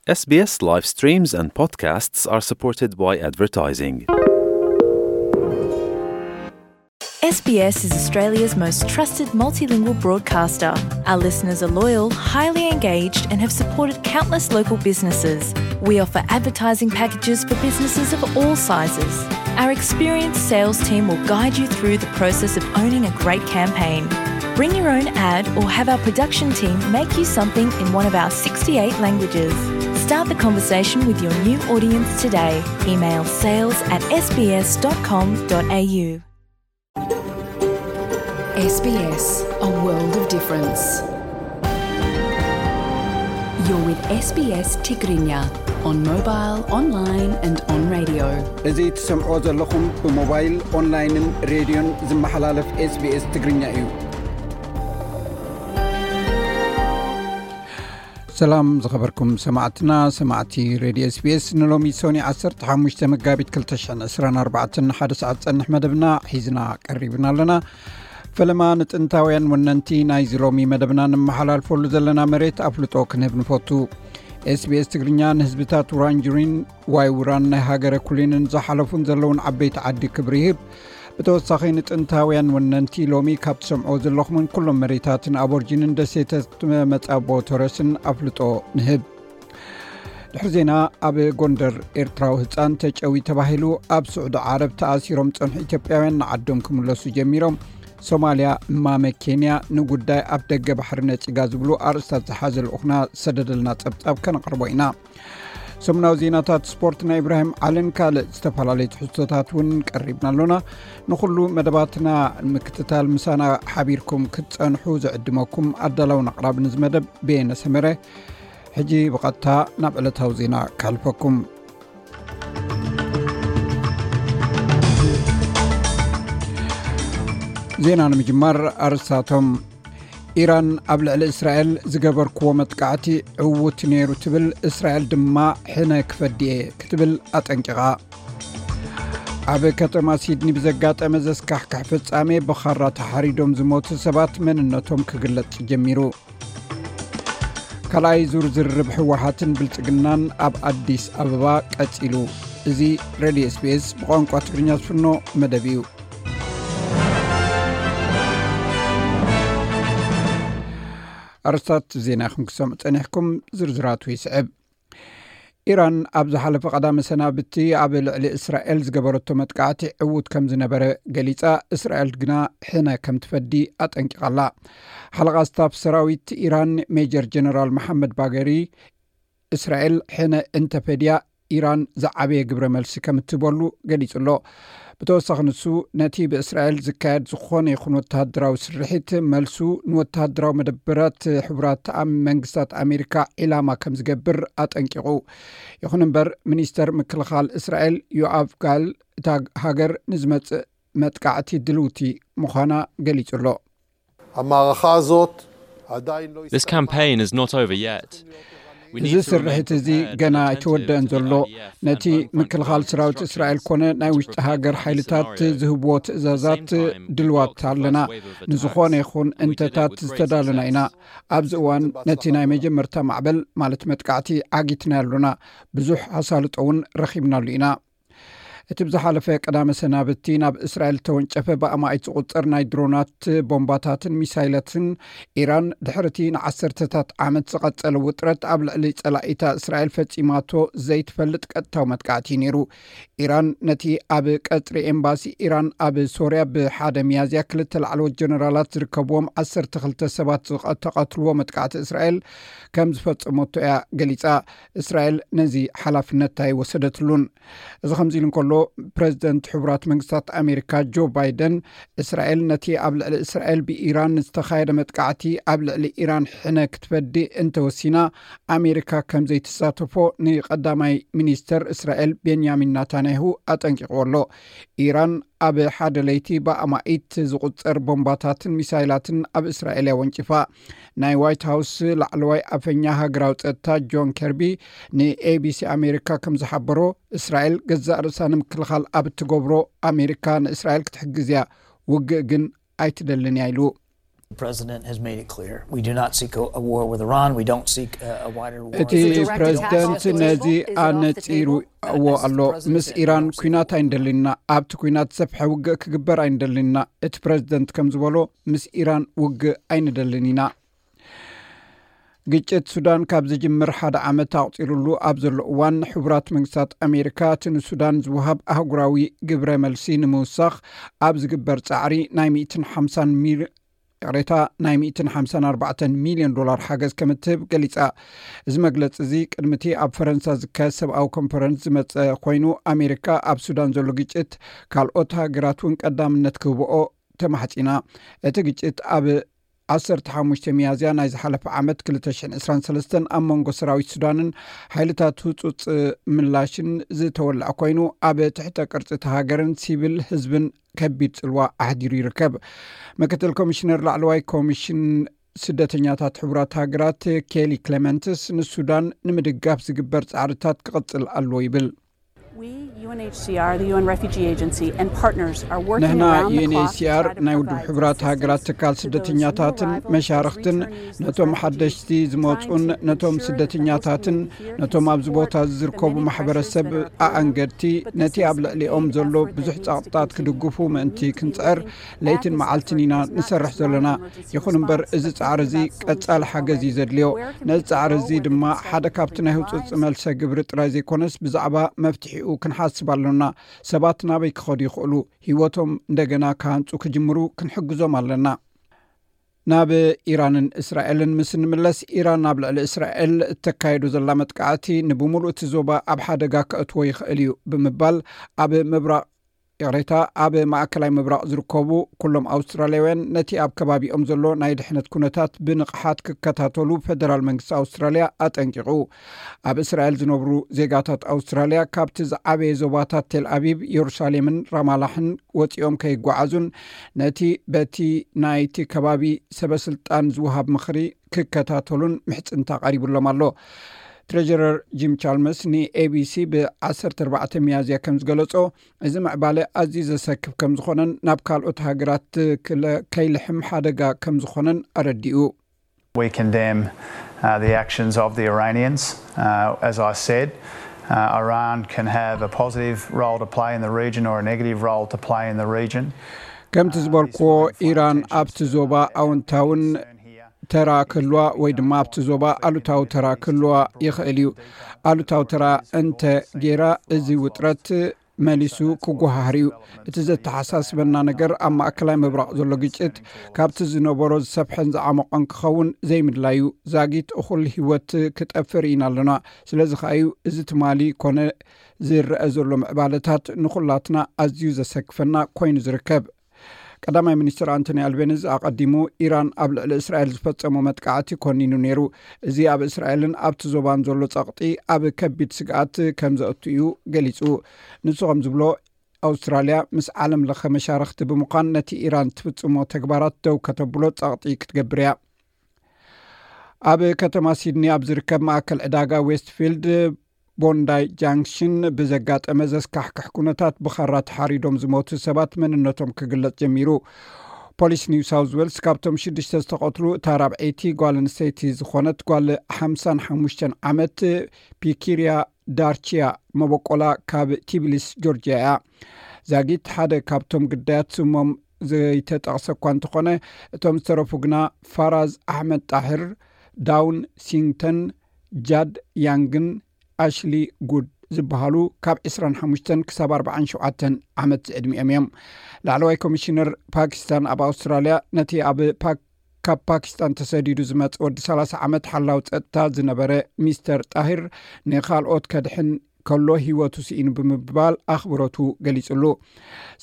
S B S live streams and podcasts are supported by advertising. S B S is Australia's most trusted multilingual broadcaster. Our listeners are loyal, highly engaged, and have supported countless local businesses. We offer advertising packages for businesses of all sizes. Our experienced sales team will guide you through the process of owning a great campaign. Bring your own ad or have our production team make you something in one of our sixty-eight languages. Start the conversation with your new audience today. Email sales at S B S dot com dot A U. S B S, a world of difference. You're with S B S Tigrinya on mobile, online and on radio. እዚ ትሰምዖ ዘለኹም ብሞባይል፣ ኦንላይንን ሬድዮን ዝመሓላለፍ S B S ትግርኛ እዩ። ሰላም ዝኸበርኩም ሰማዕትና፣ ሰማዕቲ ሬድዮ S B S፣ ንሎሚ ሶኒ ዓሰርተ ሓሙሽተ መጋቢት ክልተ ሽሕን ዕስራን ኣርባዕተን ሓደ ሰዓት ጸንሕ መደብና ሒዝና ቀሪብና ኣለና። ፈለማ ንጥንታውያን ወነንቲ ናይዚ ሎሚ መደብና ንመሓላልፈሉ ዘለና መሬት ኣፍልጦ ክንህብ ንፈቱ። S B S ትግርኛ ንህዝብታት ውራንጁሪን ዋይ ውራን ናይ ሃገረ ኩሊንን ዝሓለፉን ዘለውን ዓበይቲ ዓዲ ክብሪ ይህብ። ብተወሳኺ ንጥንታውያን ወነንቲ ሎሚ ካብ ትሰምዖ ዘለኹምን ኩሎም መሬታትን ኣቦርጂንን ደሴታት መጻቦ ቶረስን ኣፍልጦ ንህብ። ድሕሪ ዜና፣ ኣብ ጎንደር ኤርትራዊ ህጻን ተጨዊ ተባሂሉ ኣብ ስዑዲ ዓረብ ተኣሲሮም ጸንሑ ኢትዮጵያውያን ንዓዶም ክምለሱ ጀሚሮም። ሶማልያ እማመ ኬንያ ንጉዳይ ኣብ ደገ ባሕሪ ነጺጋ ዝብሉ ኣርእስታት ዝሓዘ ልኡኽና ዝሰደደልና ጸብጻብ ከነቕርቦ ኢና። ሰሙናዊ ዜናታት ስፖርት ናይ ኢብራሂም ዓልን ካልእ ዝተፈላለዩ ትሕዝቶታት እውን ቀሪብና ኣሎና። ንኹሉ መደባትና ንምክትታል ምሳና ሓቢርኩም ክትጸንሑ ዝዕድመኩም ኣዳላውን ኣቕራብን እዚ መደብ በየነ ሰመረ። ሕጂ ብቐጥታ ናብ ዕለታዊ ዜና ከሕልፈኩም። ዜና ንምጅማር ኣርእስታቶም። ኢራን ኣብ ልዕሊ እስራኤል ዝገበርክዎ መጥቃዕቲ ዕዉት ነይሩ ትብል፣ እስራኤል ድማ ሕነ ክፈዲ እየ ክትብል ኣጠንቂቓ። ኣብ ከተማ ሲድኒ ብዘጋጠመ ዘስካሕክሕ ፍጻሜ ብኻራ ተሓሪዶም ዝሞቱ ሰባት መንነቶም ክግለጽ ጀሚሩ። ካልኣይ ዙር ዝርርብ ህወሓትን ብልጽግናን ኣብ ኣዲስ ኣበባ ቀጺሉ። እዚ ሬድዮ S B S ብቋንቋ ትግርኛ ዝፍኖ መደብ እዩ። ኣርስታት ዜና ኢኹም ክሰምዑ ጸኒሕኩም፣ ዝርዝራቱ ይስዕብ። ኢራን ኣብ ዝሓለፈ ቀዳመ ሰናብቲ ኣብ ልዕሊ እስራኤል ዝገበረቶ መጥቃዕቲ ዕዉት ከም ዝነበረ ገሊጻ፣ እስራኤል ግና ሕነ ከም ትፈዲ ኣጠንቂቓ ኣላ። ሓለቓ ስታፍ ሰራዊት ኢራን ሜጀር ጀነራል መሓመድ ባገሪ፣ እስራኤል ሕነ እንተፈድያ፣ ኢራን ዝዓበየ ግብረ መልሲ ከም እትህበሉ ገሊጹ ኣሎ። ብተወሳኺ ንሱ፣ ነቲ ብእስራኤል ዝካየድ ዝኾነ ይኹን ወተሃደራዊ ስርሒት፣ መልሱ ንወተሃደራዊ መደበራት ሕቡራት ኣም-፣ መንግስታት ኣሜሪካ ዒላማ ከም ዝገብር ኣጠንቂቑ። ይኹን እምበር፣ ሚኒስተር ምክልኻል እስራኤል ዮኣቭ ጋል፣ እታ ሃገር ንዝመጽእ መጥቃዕቲ ድልውቲ ምዃና ገሊጹ ኣሎ። המערכה הזאת עדיין לא This הסתיימה. Campaign is not over yet. We እዚ need to remain ስርሒት እዚ prepared ገና and ኣይተወደአን attentive to ዘሎ። The I D F ነቲ and Homeland ምክልኻል Command ሰራዊት እስራኤል instructions ኮነ ናይ to ውሽጢ prevent ሃገር any ሓይልታት scenario. ዝህብዎ At the ትእዛዛት same time, ድልዋት we're ኣለና። also wary of the ንዝኾነ deterrence ይኹን we did እንተታት have great ዝተዳለና ኢና። Success. ኣብዚ እዋን ነቲ ናይ መጀመርታ ማዕበል፣ ማለት መጥቃዕቲ፣ ዓጊትና ኣሎና። ብዙሕ ኣሳልጦ እውን ረኺብናሉ ኢና። እቲ ብዝሓለፈ ቀዳመ ሰናብቲ ናብ እስራኤል ተወንጨፈ ብኣማኢት ዝቑጸር ናይ ድሮናት፣ ቦምባታትን ሚሳይላትን ኢራን፣ ድሕሪ እቲ ንዓሰርተታት ዓመት ዝቐጸለ ውጥረት ኣብ ልዕሊ ጸላኢታ እስራኤል ፈጺማቶ ዘይትፈልጥ ቀጥታዊ መጥቃዕቲ እዩ ነይሩ። ኢራን ነቲ ኣብ ቀጽሪ ኤምባሲ ኢራን ኣብ ሶርያ ብሓደ ሚያዝያ ክልተ ላዕለዎት ጀነራላት ዝርከብዎም ዓሰርተ ክልተ ሰባት ዝተቐትልዎ መጥቃዕቲ እስራኤል ከም ዝፈጸመቶ እያ ገሊጻ። እስራኤል ነዚ ሓላፍነት ኣይወሰደትሉን። እዚ ከምዚ ኢሉ እንከሎ፣ ፕረዚደንት ሕቡራት መንግስታት ኣሜሪካ ጆ ባይደን፣ እስራኤል ነቲ ኣብ ልዕሊ እስራኤል ብኢራን ዝተኻየደ መጥቃዕቲ ኣብ ልዕሊ ኢራን ሕነ ክትፈዲ እንተወሲና፣ ኣሜሪካ ከም ዘይትሳተፎ ንቀዳማይ ሚኒስተር እስራኤል ቤንያሚን ናታንያሁ ኣጠንቂቕዎ ኣሎ። ኢራን ኣብ ሓደ ለይቲ ብኣማኢት ዝቑጸር ቦምባታትን ሚሳይላትን ኣብ እስራኤል እያ ወንጭፋ። ናይ ዋይት ሃውስ ላዕለዋይ ኣፈኛ ሃገራዊ ጸጥታ ጆን ከርቢ ንኤቢሲ ኣሜሪካ ከም ዝሓበሮ፣ እስራኤል ገዛእ ርእሳ ንምክልኻል ኣብ እትገብሮ ኣሜሪካ ንእስራኤል ክትሕግዝ እያ፣ ውግእ ግን ኣይትደልን እያ ኢሉ። The president has made it clear. We do not seek a, a war with Iran. We don't seek a, a wider war. እቲ ፕሬዝደንት ነዚ ኣነጺርዎ ኣሎ። ምስ ኢራን ኲናት ኣይንደልን ኢና። ኣብቲ ኲናት ሰፍሐ ውግእ ክግበር ኣይንደልን ኢና። እቲ ፕሬዝደንት ከም ዝበሎ፣ ምስ ኢራን ውግእ ኣይንደልን ኢና። ግጭት ሱዳን ካብ ዝጅምር ሓደ ዓመት ኣቑጺሩሉ ኣብ ዘሎ እዋን፣ ሕቡራት መንግስታት ኣሜሪካ እቲ ንሱዳን ዝወሃብ ኣህጉራዊ ግብረ መልሲ ንምውሳኽ ኣብ ዝግበር ጻዕሪ ናይ ሚእትን ሓምሳን ሚል- ይቕሬታ፣ ናይ ሚእትን ሓምሳን ኣርባዕተን ሚልዮን ዶላር ሓገዝ ከም እትህብ ገሊጻ። እዚ መግለጺ እዚ ቅድሚ እቲ ኣብ ፈረንሳ ዝካየድ ሰብኣዊ ኮንፈረንስ ዝመጸ ኮይኑ፣ ኣሜሪካ ኣብ ሱዳን ዘሎ ግጭት ካልኦት ሃገራት እውን ቀዳምነት ክህብኦ ተማሕጺና። እቲ ግጭት ኣብ ዓሰርተ ሓሙሽተ ሚያዝያ ናይ ዝሓለፈ ዓመት ክልተ ሽሕን ዕስራን ሰለስተን ኣብ መንጎ ሰራዊት ሱዳንን ሓይልታት ህጹጽ ምላሽን ዝተወልዐ ኮይኑ፣ ኣብ ትሕተ ቅርጺ እቲ ሃገርን ሲቪል ህዝብን ከቢድ ጽልዋ ኣሕዲሩ ይርከብ። ምክትል ኮሚሽነር ላዕለዋይ ኮሚሽን ስደተኛታት ሕቡራት ሃገራት ኬሊ ክሌመንትስ፣ ንሱዳን ንምድጋፍ ዝግበር ጻዕርታት ክቕጽል ኣለዎ ይብል። We, U N H C R, the U N Refugee Agency, and partners are working ንሕና around the clock to ዩኤንኤችሲኣር try to ናይ ውድብ provide ሕቡራት assistance ሃገራት to ትካል those ስደተኛታትን new arrivals, መሻርኽትን those returnees, ነቶም those ሓደሽቲ refugees, ዝመፁን trying to ነቶም ensure ስደተኛታትን that they can be here, ነቶም can ኣብዚ support ቦታ እዚ the ዝርከቡ many pressures ማሕበረሰብ that are occurring, ኣኣንገድቲ but this ነቲ ኣብ needs to ልዕሊኦም be ዘሎ effort ብዙሕ that we ጸቕጥታት continue ክድግፉ to ምእንቲ lean ክንጽዕር into ለይትን as this መዓልትን effort ኢና moves ንሰርሕ towards ዘለና። an emergency ይኹን እምበር response. እዚ But ጻዕሪ thinking እዚ about solutions, ቀጻሊ ሓገዝ እዩ where ዘድልዮ። can ነዚ people ጻዕሪ go እዚ where they ድማ can start ሓደ with ካብቲ clean ናይ ህጹጽ lives? መልሰ ግብሪ ጥራይ ዘይኮነስ ብዛዕባ መፍትሒኡ ክንሓስብ ኣሎና። ሰባት ናበይ ክኸዱ ይኽእሉ? ህይወቶም እንደገና ክሃንጹ ክጅምሩ ክንሕግዞም ኣለና። ናብ ኢራንን እስራኤልን ምስ እንምለስ፣ ኢራን ኣብ ልዕሊ እስራኤል እተካየዶ ዘላ መጥቃዕቲ ንብምሉእ እቲ ዞባ ኣብ ሓደጋ ከእትዎ ይኽእል እዩ ብምባል፣ ኣብ ምብራቕ ይቕሬታ፣ ኣብ ማእከላይ ምብራቕ ዝርከቡ ኩሎም ኣውስትራልያውያን ነቲ ኣብ ከባቢኦም ዘሎ ናይ ድሕነት ኩነታት ብንቕሓት ክከታተሉ ፈደራል መንግስቲ ኣውስትራልያ ኣጠንቂቑ። ኣብ እስራኤል ዝነብሩ ዜጋታት ኣውስትራልያ ካብቲ ዝዓበየ ዞባታት ቴል ኣቪቭ፣ የሩሳሌምን ራማላሕን ወጺኦም ከይጓዓዙን ነቲ በቲ ናይቲ ከባቢ ሰበስልጣን ዝወሃብ ምኽሪ ክከታተሉን ምሕጽንታ ቀሪቡሎም ኣሎ። ትሬጀረር ጂም ቻልመስ ንኤቢሲ ብ ዓሰርተ ኣርባዕተ ሚያዝያ ከም ዝገለጾ፣ እዚ ምዕባለ ኣዝዩ ዘሰክፍ ከም ዝኾነን ናብ ካልኦት ሃገራት ክለ- ከይልሕም ሓደጋ ከም ዝኾነን ኣረዲኡ። We condemn uh, the actions of the Iranians. Uh, as I said, uh, Iran can have a positive role to play in the region or a negative role to play in the region. ከምቲ ዝበልክዎ፣ ኢራን ኣብቲ ዞባ ኣውንታውን ተራ ክህልዋ ወይ ድማ ኣብቲ ዞባ ኣሉታዊ ተራ ክህልዋ ይኽእል እዩ። ኣሉታዊ ተራ እንተ ጌራ፣ እዚ ውጥረት መሊሱ ክጓሃህር እዩ። እቲ ዘተሓሳስበና ነገር ኣብ ማእከላይ ምብራቕ ዘሎ ግጭት ካብቲ ዝነበሮ ዝሰፍሐን ዝዓመቖን ክኸውን ዘይምድላዩ። ዛጊት እኹል ህይወት ክጠፍእ ርኢና ኣለና። ስለዚ ከኣ እዩ እዚ ትማሊ ኮነ ዝረአ ዘሎ ምዕባለታት ንኹላትና ኣዝዩ ዘሰክፈና ኮይኑ ዝርከብ። ቀዳማይ ሚኒስትር ኣንቶኒ ኣልቤኒዝ ኣቐዲሙ ኢራን ኣብ ልዕሊ እስራኤል ዝፈጸሞ መጥቃዕቲ ኮኒኑ ነይሩ። እዚ ኣብ እስራኤልን ኣብቲ ዞባን ዘሎ ጸቕጢ ኣብ ከቢድ ስግኣት ከም ዘእቱ እዩ ገሊጹ። ንሱ ከም ዝብሎ፣ ኣውስትራልያ ምስ ዓለም ለኸ መሻርኽቲ ብምዃን ነቲ ኢራን ትፍጽሞ ተግባራት ደው ከተብሎ ጸቕጢ ክትገብር እያ። ኣብ ከተማ ሲድኒ ኣብ ዝርከብ ማእከል ዕዳጋ ዌስትፊልድ ቦንዳይ ጃንክሽን ብዘጋጠመ ዘስካሕክሕ ኩነታት ብኻራ ተሓሪዶም ዝሞቱ ሰባት መንነቶም ክግለጽ ጀሚሩ። ፖሊስ ኒው ሳውዝ ዌልስ ካብቶም ሽዱሽተ ዝተቐትሉ እታ ራብዐይቲ ጓል ኣንስተይቲ ዝኾነት ጓል ሓምሳን ሓሙሽተን ዓመት ፒኪርያ ዳርቺያ መበቆላ ካብ ቲቢሊስ ጆርጅያ እያ። ዛጊት ሓደ ካብቶም ግዳያት ስሞም ዘይተጠቕሰ እኳ እንተኾነ፣ እቶም ዝተረፉ ግና ፋራዝ ኣሕመድ ጣሂር፣ ዳውን ሲንግተን፣ ጃድ ያንግን ኣሽሊ ጉድ ዝበሃሉ ካብ ዕስራን ሓሙሽተን ክሳብ ኣርባዓን ሸውዓተን ዓመት ዝዕድሚኦም እዮም። ላዕለዋይ ኮሚሽነር ፓኪስታን ኣብ ኣውስትራልያ ነቲ ኣብ ፓክ ካብ ፓኪስታን ተሰዲዱ ዝመጸ ወዲ ሰላሳ ዓመት ሓላው ጸጥታ ዝነበረ ሚስተር ጣሂር፣ ንኻልኦት ከድሕን ከሎ ህይወቱ ስኢኑ ብምባል ኣኽብሮቱ ገሊጹሉ።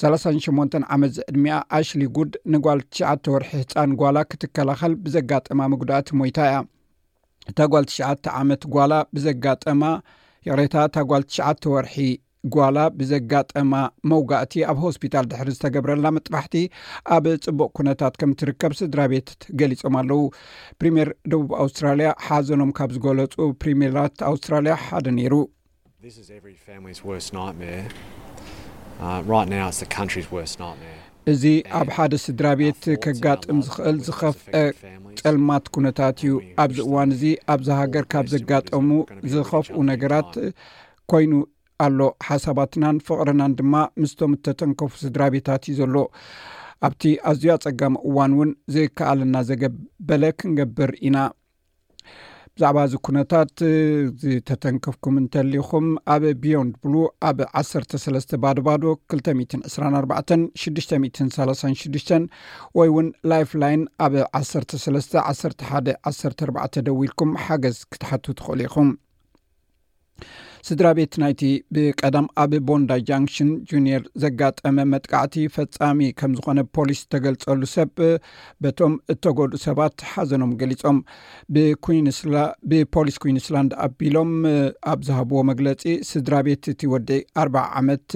ሰላሳን ሸሞንተን ዓመት ዝዕድሚኣ ኣሽሊ ጉድ ንጓል ትሽዓተ ወርሒ ህጻን ጓላ ክትከላኸል ብዘጋጠማ መጉዳእቲ ሞይታ እያ። እታ ጓል ትሽዓተ ዓመት ጓላ ብዘጋጠማ ይቕሬታ፣ እታ ጓል ትሽዓተ ወርሒ ጓላ ብዘጋጠማ መውጋእቲ ኣብ ሆስፒታል ድሕሪ ዝተገብረላ መጥባሕቲ ኣብ ጽቡቕ ኩነታት ከም ትርከብ ስድራ ቤት ገሊጾም ኣለዉ። ፕሪምየር ደቡብ ኣውስትራልያ ሓዘኖም ካብ ዝገለጹ ፕሪምየራት ኣውስትራልያ ሓደ ነይሩ። This is every family's worst nightmare. Uh, right now, it's the country's worst nightmare. እዚ ኣብ ሓደ ስድራ ቤት ከጋጥም ዝኽእል ዝኸፍአ ጸልማት ኩነታት እዩ። ኣብዚ እዋን እዚ ኣብዛ ሃገር ካብ ዘጋጠሙ ዝኸፍኡ ነገራት ኮይኑ ኣሎ። ሓሳባትናን ፍቕርናን ድማ ምስቶም እተተንከፉ ስድራ ቤታት እዩ ዘሎ። ኣብቲ ኣዝዩ ኣጸጋሚ እዋን እውን ዝከኣለና ዘገበለ ክንገብር ኢና። ብዛዕባ እዚ ኩነታት ዝተተንከፍኩም እንተሊኹም፣ ኣብ ቢዮንድ ብሉ ኣብ ዓሰርተ ሰለስተ ባዶ ባዶ፣ ክልተ ሚእትን ዕስራን ኣርባዕተን ሽዱሽተ ሚእትን ሰላሳን ሽዱሽተን ወይ እውን ላይፍላይን ኣብ ዓሰርተ ሰለስተ ዓሰርተ ሓደ ዓሰርተ ኣርባዕተ ደዊልኩም ሓገዝ ክትሓቱ ትኽእሉ ኢኹም። ስድራ ቤት ናይቲ ብቀዳም ኣብ ቦንዳይ ጃንክሽን ጁኒየር ዘጋጠመ መጥቃዕቲ ፈጻሚ ከም ዝኾነ ፖሊስ ዝተገልጸሉ ሰብ በቶም እተጎድኡ ሰባት ሓዘኖም ገሊጾም። ብኩዊንስላ-፣ ብፖሊስ ኩዊንስላንድ ኣቢሎም ኣብ ዝሃብዎ መግለጺ፣ ስድራ ቤት እቲ ወዲ ኣርባዓ ዓመት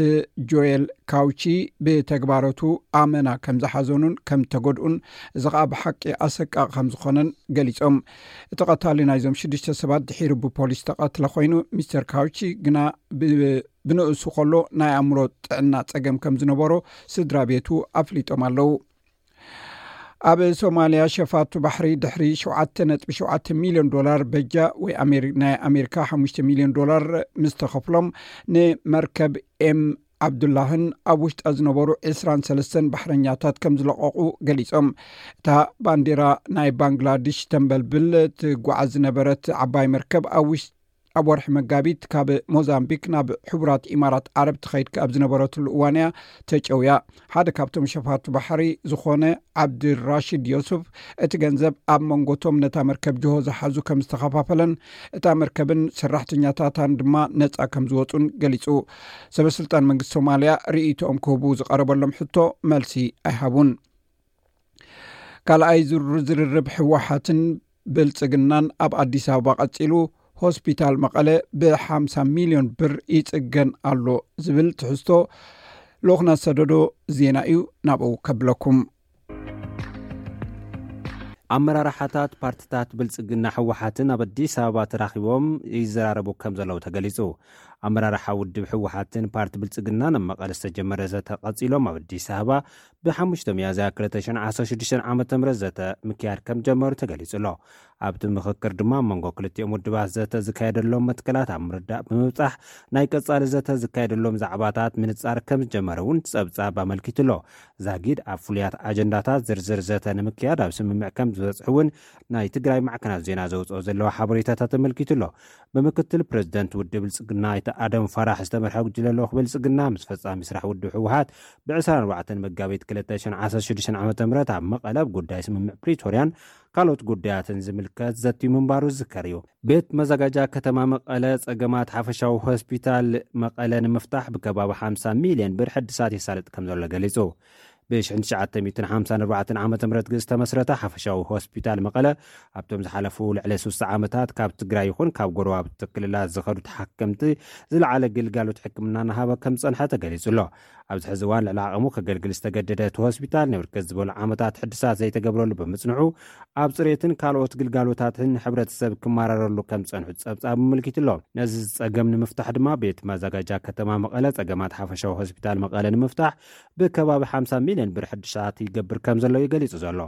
ጆኤል ካውቺ ብተግባረቱ ኣመና ከም ዝሓዘኑን ከም ተጎድኡን፣ እዚ ኸኣ ብሓቂ ኣሰቃቂ ከም ዝኾነን ገሊጾም። እቲ ቀታሊ ናይዞም ሽዱሽተ ሰባት ድሒሩ ብፖሊስ ተቐትለ ኮይኑ፣ ሚስተር ካውቺ ግና ብ-፣ ብንእሱ ከሎ ናይ ኣእምሮ ጥዕና ጸገም ከም ዝነበሮ ስድራ ቤቱ ኣፍሊጦም ኣለዉ። ኣብ ሶማልያ ሸፋቱ ባሕሪ ድሕሪ ሸውዓተ ነጥቢ ሸውዓተ ሚልዮን ዶላር በጃ ወይ ኣሜሪ-፣ ናይ ኣሜሪካ ሓሙሽተ ሚልዮን ዶላር ምስ ተኸፍሎም፣ ንመርከብ ኤም ዓብዱላህን ኣብ ውሽጣ ዝነበሩ ዕስራን ሰለስተን ባሕረኛታት ከም ዝለቐቑ ገሊጾም። እታ ባንዲራ ናይ ባንግላድሽ ተንበልብል ትጓዓዝ ዝነበረት ዓባይ መርከብ ኣብ ውሽ-፣ ኣብ ወርሒ መጋቢት ካብ ሞዛምቢክ ናብ ሕቡራት ኢማራት ዓረብ ትኸይድ ኣብ ዝነበረትሉ እዋን እያ ተጨውያ። ሓደ ካብቶም ሸፋቱ ባሕሪ ዝኾነ ዓብድራሽድ ዮሱፍ፣ እቲ ገንዘብ ኣብ መንጎቶም ነታ መርከብ ጅሆ ዝሓዙ ከም ዝተኸፋፈለን፣ እታ መርከብን ሰራሕተኛታታን ድማ ነጻ ከም ዝወጹን ገሊጹ። ሰበስልጣን መንግስቲ ሶማልያ ርእይቶኦም ክህቡ ዝቐረበሎም ሕቶ መልሲ ኣይሃቡን። ካልኣይ ዙር ዝርርብ ህወሓትን ብልጽግናን ኣብ ኣዲስ ኣበባ ቀጺሉ፣ ሆስፒታል መቐለ ብሓምሳ ሚልዮን ብር ይጽገን ኣሎ ዝብል ትሕዝቶ ልኡኽና ዝሰደዶ ዜና እዩ። ናብኡ ከብለኩም። ኣመራርሓታት ፓርትታት ብልጽግና ህወሓትን ኣብ ኣዲስ ኣበባ ተራኺቦም ይዘራረቡ ከም ዘለዉ ተገሊጹ። ኣመራርሓ ውድብ ህወሓትን ፓርቲ ብልጽግናን ኣብ መቐለ ዝተጀመረ ዘተ ቀጺሎም ኣብ ኣዲስ ኣበባ ብሓሙሽተ ሚያዝያ ክልተ ሽሕን ዓሰርተ ሽዱሽተን ዓመተ ምህረት ዘተ ምክያድ ከም ጀመሩ ተገሊጹ ኣሎ። ኣብቲ ምኽክር ድማ ኣብ መንጎ ክልቲኦም ውድባት ዘተ ዝካየደሎም መትከላት ኣብ ምርዳእ ብምብጻሕ፣ ናይ ቀጻሊ ዘተ ዝካየደሎም ዛዕባታት ምንጻር ከም ዝጀመረ እውን ጸብጻብ ኣመልኪቱ ኣሎ። ዛጊድ ኣብ ፍሉያት ኣጀንዳታት ዝርዝር ዘተ ንምክያድ ኣብ ስምምዕ ከም ዝበጽሑ እውን ናይ ትግራይ ማዕከናት ዜና ዘውጽኦ ዘለዋ ሓበሬታታት ኣመልኪቱ ኣሎ። ብምክትል ፕሬዚደንት ውድብ ብልጽግና ኣይተ ኣደም ፋራሕ ዝተመርሐ ጉጅለ ልኡኽ ብልጽግና ምስ ፈጻሚ ስራሕ ውድብ ህወሓት ብ ዕስራን ኣርባዕተን መጋቢት ክልተ ሽሕን ዓሰርተ ሽዱሽተን ዓመተ ምህረት ኣብ መቐለ ኣብ ጉዳይ ስምምዕ ፕሪቶርያን ካልኦት ጉዳያትን ዝምልከት ዘትዩ ምንባሩ ዝዝከር እዩ። ቤት መዘጋጃ ከተማ መቐለ ጸገማት ሓፈሻዊ ሆስፒታል መቐለ ንምፍታሕ ብከባቢ ሓምሳ ሚልዮን ብር ሕድሳት የሳልጥ ከም ዘሎ ገሊጹ። ብ ሽሕን ትሽዓተ ሚእትን ሓምሳን ኣርባዕተን ዓመተ ምህረት ዝተመስረተ ሓፈሻዊ ሆስፒታል መቐለ፣ ኣብቶም ዝሓለፉ ልዕሊ ስሳ ዓመታት ካብ ትግራይ ይኹን ካብ ጎረባብቲ ክልላት ዝኸዱ ተሓከምቲ ዝለዓለ ግልጋሎት ሕክምና እናሃበ ከም ዝጸንሐ ተገሊጹ ኣሎ። ኣብዚ ሕዚ እዋን ልዕሊ ዓቐሙ ከገልግል ዝተገደደ እቲ ሆስፒታል፣ ንብርክት ዝበሉ ዓመታት ሕድሳት ዘይተገብረሉ ብምጽንሑ፣ ኣብ ጽሬትን ካልኦት ግልጋሎታትን ሕብረተሰብ ክመራረሉ ከም ዝጸንሑ ጸብጻብ ኣመልኪቱ ኣሎ። ነዚ ጸገም ንምፍታሕ ድማ ቤት ማዘጋጃ ከተማ መቐለ ጸገማት ሓፈሻዊ ሆስፒታል መቐለ ንምፍታሕ ብከባቢ ሓምሳ ሚልዮን ብር ሕድሳት ይገብር ከም ዘሎ እዩ ገሊጹ ዘሎ።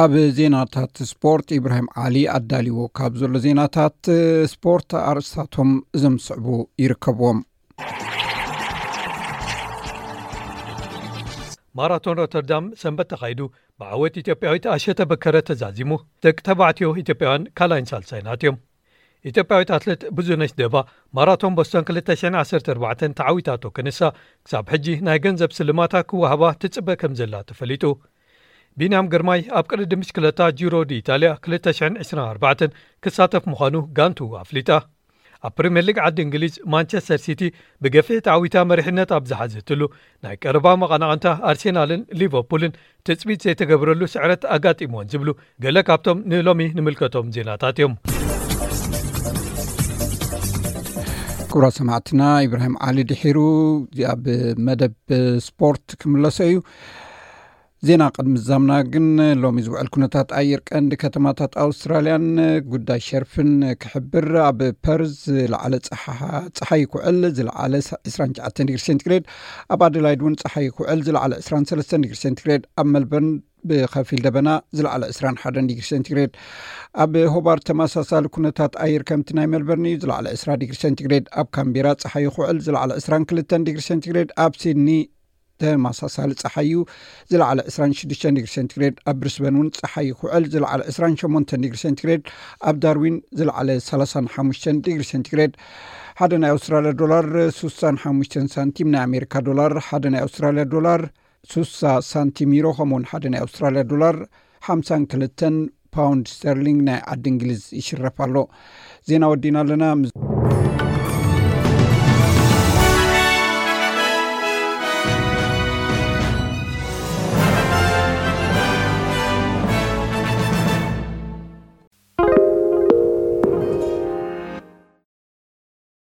ኣብ ዜናታት ስፖርት፣ ኢብራሂም ዓሊ ኣዳልዎ ካብ ዘሎ ዜናታት ስፖርት ኣርእስታቶም እዞም ዝስዕቡ ይርከብዎም። ማራቶን ሮተርዳም ሰንበት ተኻይዱ ብዓወት ኢትዮጵያዊት ኣሸተ በከረ ተዛዚሙ። ደቂ ተባዕትዮ ኢትዮጵያውያን ካልኣይን ሳልሳይን ኣትዮም። ኢትዮጵያዊት ኣትሌት ብዙነሽ ደባ ማራቶን ቦስቶን ክልተ ሽሕን ዓሰርተ ኣርባዕተን ተዓዊታቶ ክንሳ፣ ክሳብ ሕጂ ናይ ገንዘብ ስልማታ ክወሃባ ትጽበ ከም ዘላ ተፈሊጡ። ቢንያም ግርማይ ኣብ ቅድድም ብሽክለታ ጂሮ ዲ ኢጣልያ ክልተ ሽሕን ዕስራን ኣርባዕተን ክሳተፍ ምዃኑ ጋንቱ ኣፍሊጣ። ኣብ ፕሪምየር ሊግ ዓዲ እንግሊዝ ማንቸስተር ሲቲ ብገፊሕ ተዓዊታ መሪሕነት ኣብ ዝሓዘትሉ፣ ናይ ቀረባ መቐናቕንታ ኣርሴናልን ሊቨርፑልን ትጽቢት ዘይተገብረሉ ስዕረት ኣጋጢምወን ዝብሉ ገለ ካብቶም ንሎሚ ንምልከቶም ዜናታት እዮም። ክቡራት ሰማዕትና፣ ኢብራሂም ዓሊ ድሒሩ ኣብ መደብ ስፖርት ክምለሶ እዩ። ዜና ቅድሚ ዛምና ግን፣ ሎሚ ዝውዕል ኩነታት ኣየር ቀንዲ ከተማታት ኣውስትራልያን ጉዳይ ሸርፍን ክሕብር፣ ኣብ ፐርዝ ዝለዓለ ጸሓ-፣ ጸሓይ ክውዕል፣ ዝለዓለ ዕስራን ትሽዓተን ዲግሪ ሴንቲግሬድ፣ ኣብ ኣደላይድ እውን ጸሓይ ክውዕል፣ ዝለዓለ ዕስራን ሰለስተን ዲግሪ ሴንቲግሬድ፣ ኣብ መልበርን ብኸፊል ደበና፣ ዝለዓለ ዕስራን ሓደን ዲግሪ ሴንቲግሬድ፣ ኣብ ሆባርት ተመሳሳሊ ኩነታት ኣየር ከምቲ ናይ መልበርን እዩ፣ ዝለዓለ ዕስራ ዲግሪ ሴንቲግሬድ፣ ኣብ ካምቤራ ጸሓይ ክውዕል፣ ዝለዓለ ዕስራን ክልተን ዲግሪ ሴንቲግሬድ፣ ኣብ ሲድኒ ተመሳሳሊ ጸሓይ እዩ፣ ዝለዓለ ዕስራን ሽዱሽተን ዲግሪ ሴንቲግሬድ፣ ኣብ ብሪስበን እውን ጸሓይ ክውዕል፣ ዝለዓለ ዕስራን ሸሞንተን ዲግሪ ሴንቲግሬድ፣ ኣብ ዳርዊን ዝለዓለ ሰላሳን ሓሙሽተን ዲግሪ ሴንቲግሬድ። ሓደ ናይ ኣውስትራልያ ዶላር ሱሳን ሓሙሽተን ሳንቲም፣ ናይ ኣሜሪካ ዶላር ሓደ ናይ ኣውስትራልያ ዶላር ሱሳ ሳንቲም፣ ዩሮ ከምኡውን ሓደ ናይ ኣውስትራልያ ዶላር ሓምሳን ክልተን ፓውንድ ስተርሊንግ ናይ ዓዲ እንግሊዝ ይሽረፍ ኣሎ። ዜና ወዲና ኣለና።